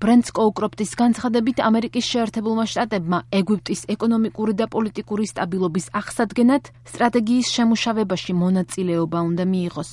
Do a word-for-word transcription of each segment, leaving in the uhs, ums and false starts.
ბრენდ სკოუკროპტის განცხადებით, ამერიკის შეერთებულმა შტატებმა ეგვიპტის ეკონომიკური და პოლიტიკური სტაბილობის აღსადგენად სტრატეგიის შემუშავებაში მონაწილეობა უნდა მიიღოს.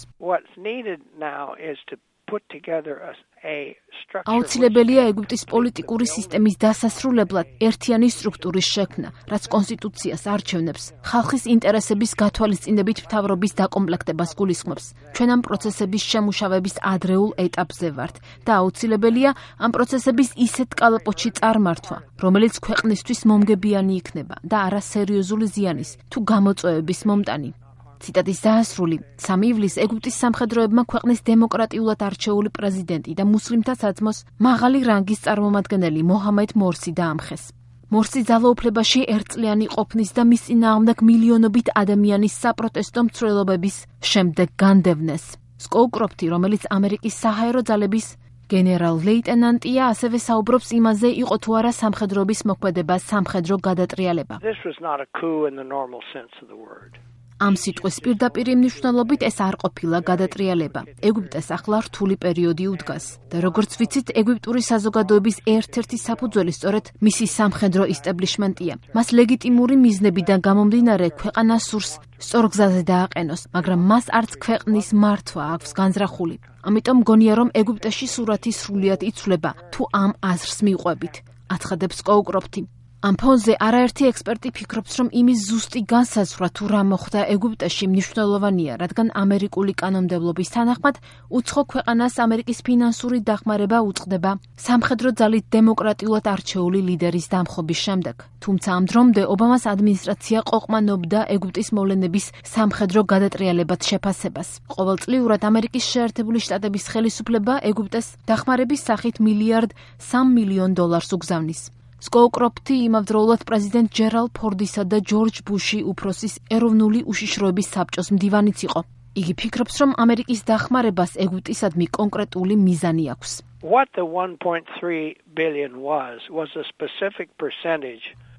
აუცილებელია ეგვიპტის პოლიტიკური სისტემის დასასრულებლად ერთიანი სტრუქტურის შექმნა, რაც კონსტიტუციას არჩევნებს, ხალხის ინტერესების გათვალისწინებით მთავრობის დაკომპლექტებას გულისხმობს. ჩვენ ამ პროცესების შემუშავების ადრეულ ეტაპზე ვართ და აუცილებელია ამ პროცესების ისეთ კალაპოტში წარმართვა, რომელიც ქვეყნისთვის მომგებიანი იქნება და არა სერიოზული ზიანის თუ გამოწვევების მომტანი. ციტატის დაასრული, სამი ივლისს ეგვიპტის სამხედროებმა ქვეყნის დემოკრატიულად არჩეული პრეზიდენტი და მუსლიმთა საძმოს მაღალი რანგის წარმომადგენელი მოჰამედ მორსი დაამხეს. მორსი ძალაუფლებაში ერთწლიანი ყოფნის და მის წინააღმდეგ მილიონობით ადამიანის საპროტესტო მცველობების შემდეგ განდევნეს. სკოუკროპტი, რომელიც ამერიკის საჰაერო ძალების გენერალ-ლეიტენანტია, ასევე საუბრობს იმაზე, იყო თუ არა სამხედროების მოქმედება სამხედრო გადატრიალება. ამ სიტყვის პირდაპირ მნიშვნელობით ეს არ ყოფილა გადატრიალება. ეგვიპტეს ახლა რთული პერიოდი უდგას და როგორც ვიცით, ეგვიპტური საზოგადოების ერთ-ერთი საფუძველი სწორედ მისი სამხედრო ისტაბლიშმენტია. მას ლეგიტიმური მიზნებიდან გამომდინარე ქვეყანა სურს სწორ გზაზე დააყენოს, მაგრამ მას არც ქვეყნის მართვა აქვს განზრახული. ამიტომ მგონია, რომ ეგვიპტეში სურათი სრულიად იცვლება, თუ ამ აზრს მივყვებით, აცხადებს სკოუკროპტი. ამ ფონზე არაერთი ექსპერტი ფიქრობს, რომ იმის ზუსტი განსაზღვრა თუ რა მოხდა ეგვიპტეში მნიშვნელოვანია, რადგან ამერიკული კანონმდებლობის თანახმად უცხო ქვეყანას ამერიკის ფინანსური დახმარება უწყდება სამხედრო ძალით დემოკრატიულად არჩეული ლიდერის დამხობის შემდეგ. თუმცა ამ დრომდე ობამას ადმინისტრაცია ყოყმანობდა ეგვიპტის მოვლენების სამხედრო გადატრიალებად შეფასებას. ყოველწლიურად ამერიკის შეერთებული შტატების ხელისუფლება ეგვიპტეს დახმარების სახით მილიარდ სამ მილიონ დოლარს უგზავნის. სკოუკროპტი იმავდროულად პრეზიდენტ ჯერალდ ფორდისა და ჯორჯ ბუში უფროსის ეროვნული უშიშროების საბჭოს მდივანიც იყო. იგი ფიქრობს, რომ ამერიკის დახმარებას ეგვიპტისადმი კონკრეტული მიზანი აქვს.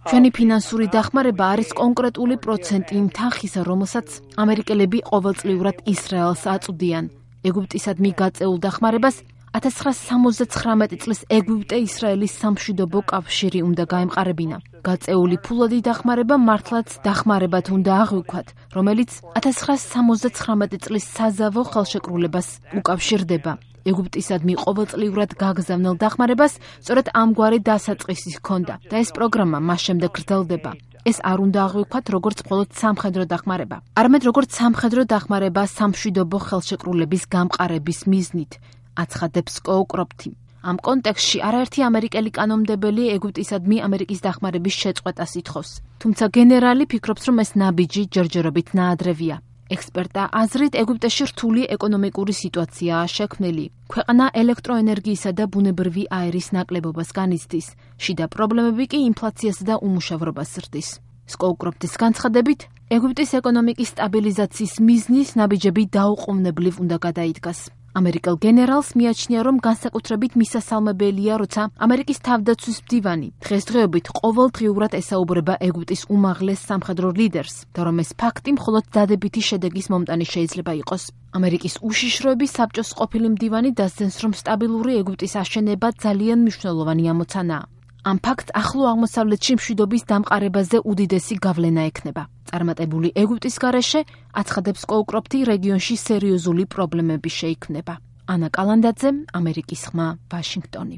ჩვენი ფინანსური დახმარება არის კონკრეტული პროცენტი იმ თანხისა, რომელსაც ამერიკელები ყოველწლიურად ისრაელს აწვდიან. ეგვიპტისადმი გაწეულ დახმარებას ათას ცხრაასა სამოცდაცხრამეტი წლის ეგვიპტე-ისრაელის სამშვიდობო კავშირი უნდა გაემყარებინა. გაწეული ფულადი დახმარება მართლაც დახმარებად უნდა აღვიქვათ, რომელიც ათას ცხრაასა სამოცდაცხრამეტი წლის საზავო ხელშეკრულებას უკავშირდება. ეგვიპტისადმი ყოველწლიურად გაგზავნილ დახმარებას სწორედ ამგვარი დასაწყისი ჰქონდა და ეს პროგრამა მას შემდეგ გრძელდება. ეს არ უნდა აღვიქვათ როგორც მხოლოდ სამხედრო დახმარება, არამედ როგორც სამხედრო დახმარება სამშვიდობო ხელშეკრულების გამყარების მიზნით. აცხადებს სკოუკროპტი. ამ კონტექსტში არაერთი ამერიკელი კანონმდებელი ეგვიპტისადმი ამერიკის დახმარების შეწყვეტას ითხოვს. თუმცა გენერალი ფიქრობს, რომ ეს ნაბიჯი ჯერჯერობით ნაადრევია. ექსპერტთა აზრით, ეგვიპტეში რთული ეკონომიკური სიტუაციაა შექმნილი. ქვეყანა ელექტროენერგიისა და ბუნებრივი აირის ნაკლებობას განიცდის. შიდა პრობლემები კი ინფლაციასა და უმუშევრობას ზრდის. სკოუკროპტის განცხადებით, ეგვიპტის ეკონომიკის სტაბილიზაციის მიზნის ნაბიჯები დაუყოვნებლივ უნდა გადაიდგას. ამერიკელ გენერალს მიაჩნია, რომ განსაკუთრებით მისასალმებელია, როცა ამერიკის თავდაცვის მდივანი დღესდღეობით ყოველდღიურად ესაუბრება ეგვიპტის უმაღლეს სამხედრო ლიდერს და რომ ეს ფაქტი მხოლოდ დადებითი შედეგის მომტანი შეიძლება იყოს. ამერიკის უშიშროების საბჭოს ყოფილი მდივანი დასძენს, რომ სტაბილური ეგვიპტის აშენება ძალიან მნიშვნელოვანი ამოცანაა. ამ ფაქტს ახლო აღმოსავლეთში მშვიდობის დამყარებაზე უდიდესი გავლენა ექნება. წარმატებული ეგვიპტის გარეშე, აცხადებს სკოუკროპტი, რეგიონში სერიოზული პრობლემები შეიქმნება. ანა კალანდაძე, ამერიკის ხმა, ვაშინგტონი.